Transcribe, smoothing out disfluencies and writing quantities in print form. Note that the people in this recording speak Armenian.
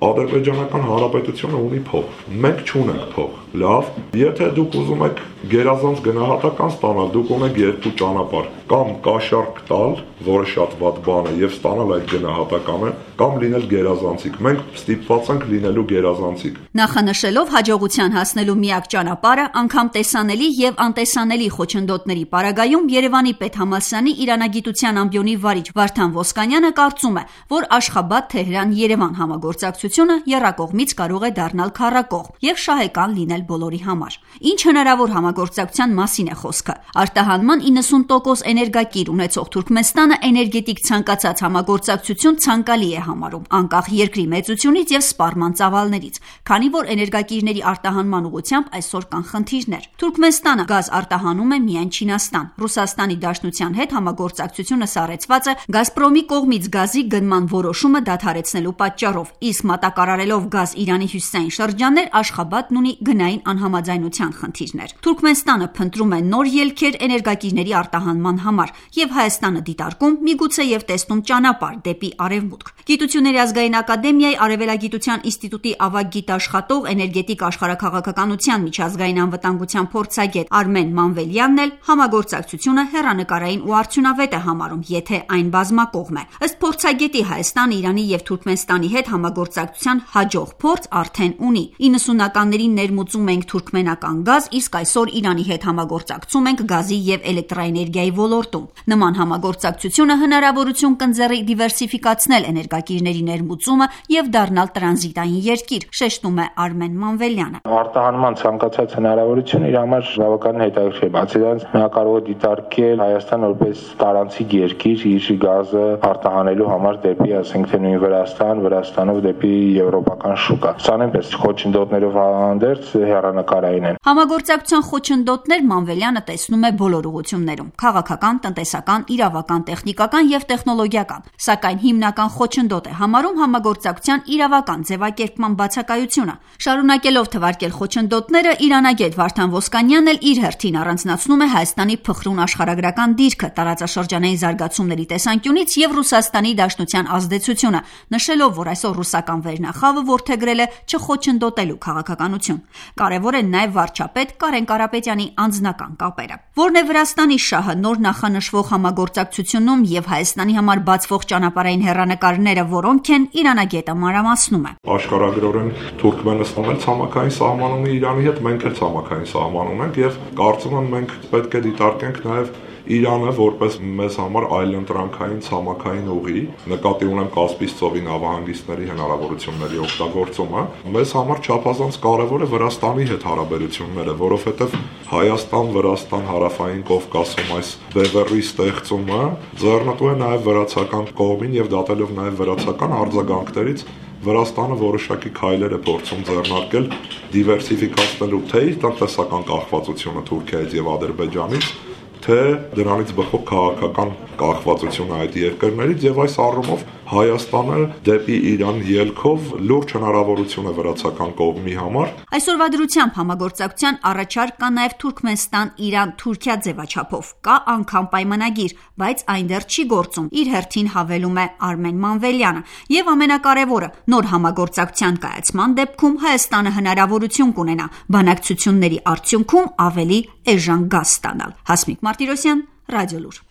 Ադրբեջանական Հանրապետությունը ունի փող, մենք չունենք փող, լավ, եթե դուք ուզում եք գերազանց գնահատական ստանալ, դուք ունեք երկու ճանապարհ, կամ կաշառք տալ, որը շատ վատ բան է, եւ ստանալ այդ գնահատականը, կամ լինել գերազանցիկ, մենք ստիպված ենք լինելու գերազանցիկ։ Նախանշելով հաջողության հասնելու միակ ճանապարհը անգամ տեսանելի եւ անտեսանելի խոչընդոտների պարագայում Երևանի պետհամալսարանի իրանագիտության ամբիոնի վարիչ Վարդան Ոսկանյանը կարծում է, որ Աշխաբադ-Թեհրան-Երևան համագործակցությունը եռակողմից կարող է դառնալ քառակողմ եւ շահեկան լինել բոլորի համար։ Ինչ հնարավոր համագործակցության մասին է խոսքը։ Արտահանման 90% էներգակիր ունեցող Թուրքմենստանը էներգետիկ ցանկացած համագործակցություն ցանկալի է համարում, անկախ երկրի մեծությունից եւ սպառման ծավալներից, քանի որ էներգակիրների արտահանման ուղղությամբ այսօր կան խնդիրներ։ Թուրքմենստանը գազ արտահանում է միայն Չինաստան։ Ռուսաստանի Դաշնության հետ համագործակցությունը սառեցված է Գազպրոմի կողմից գազի գնման որոշումը դադարեցնելու պատճառով, իսկ մատակարարելով գազ Իրանի հյուսիսային շրջաններ, Աշխաբադն ունի գնային անհամաձայնության խնդիրներ։ Թուրքմենստանը փնտրում է նոր ելքեր էներգակիրների արտահանման համար եւ Հայաստանը դիտարկում, միգուցե եւ տեսնում ճանապարհ դեպի արևմուտք։ Գիտությունների ազգային ակադեմիայի Արևելագիտության ինստիտուտի ավագ գիտաշխատող էներգետիկ աշխարհաքաղաքականության միջազգային անվտանգության փորձագետ Արմեն Մանվելյանն էլ համագործակցությունը հեռանկարային ու արդյունավետ է համարում, եթե այն բազմակողմ է։ Ըստ փորձագետի Հայաստանը Իրանի եւ Թուրքմենստանի հետ համագործակցության հաջող փորձ արդեն ունի։ 90-ականներին ներմուծում ենք թուրքմենական գազ, իսկ այսօր Իրանի հետ համագործակցում ենք գազի եւ էլեկտրաէներգիայի ոլորտում։ Նման համագործակցությունը հնարավորություն կընձեռի դիվերսիֆիկացնել էներգակիրների ներմուծումը եւ դառնալ տրանզիտային երկիր, շեշտում է Արմեն Մանվելյանը։ Արտահանման ցանկացած հնարավորություն իր համար բավականին հետաքրքիր է, բացի դրանից նա կարող է դիտարկել Հայաստան որպես տարանցիկ երկիր իր գազը արտահանելու համար դեպի, ասենք թե նույն Վրաստանով դեպի եվրոպական շուկա։ Սա նույնպես խոչընդոտներով հանդերձ հեռանկարային են։ Համագործակցության խոչընդոտներ Մանվելյանը տեսնում է բոլոր ուղղություններում՝ քաղաքական, տնտեսական, իրավական, տեխնիկական եւ տեխնոլոգիական, սակայն հիմնական խոչընդոտ է համարում համագործակցության իրավական ձևակերպման բացակայությունը։ Շարունակելով թվարկել խոչընդոտները, իրանագետ Վարդան Ոսկանյանն էլ իր հերթին առանձնացնում է Հայաստանի փխրուն աշխարհագրական դիրքը, տարածաշրջանային զարգացումների տեսանկյունից եւ Ռուսաստանի Դաշնության ազդեցությունը, նշելով, որ այսօր ռուսական վերնախավը որդեգրել է չխոչընդոտելու քաղաքականություն։ Կարևոր են նաեւ վարչապետ Կարեն Կարապետյանի անձնական կապերը։ Որն է Վրաստանի շահը նոր նախանշվող համագործակցությունում եւ Հայաստանի համար բացվող ճանապարհային հեռանկարները որոնք են, իրանագետը մանրամասնում է։ Աշխարհագրորեն Թուրքմենստանն էլ ցամաքային սահման ունի Իրանի հետ, մենք էլ ցամաքային սահման ունենք եւ կարծում եմ մենք պետք է դիտարկենք նաեւ Իրանը որպես մեզ համար այլընտրանքային ցամաքային ուղի, նկատի ունեմ Կասպից ծովի նավահանգիստների հնարավորությունների օգտագործումը, մեզ համար չափազանց կարևոր է Վրաստանի հետ հարաբերությունները, որովհետև Հայաստան-Վրաստան հարավային Կովկասում այս բևեռի ստեղծումը ձեռնտու է նաև վրացական կողմին եւ դատելով նաև վրացական արձագանքներից Վրաստանը որոշակի քայլեր է փորձում ձեռնարկել դիվերսիֆիկացնելու թե իր տնտեսական կախվածությունը Թուրքիայից եւ Ադրբեջանից, թե դրանից բխող քաղաքական կախվածությունը այդ երկրներից եւ այս առումով Հայաստանը դեպի Իրան ելքով լուրջ հնարավորություն է վրացական կողմի համար։ Այսօրվա դրությամբ համագործակցության առաջարկ կա նաև Թուրքմենստան-Իրան-Թուրքիա ձևաչափով։ Կա անգամ պայմանագիր, բայց այն դեռ չի գործում, իր հերթին հավելում է Արմեն Մանվելյանը։ Եվ ամենակարևորը, նոր համագործակցության կայացման դեպքում Հայաստանը հնարավորություն կունենա բանակցությունների արդյունքում ավելի էժան գազ ստանալ։ Հասմիկ Մարտիրոսյան, Ռադիոլուր։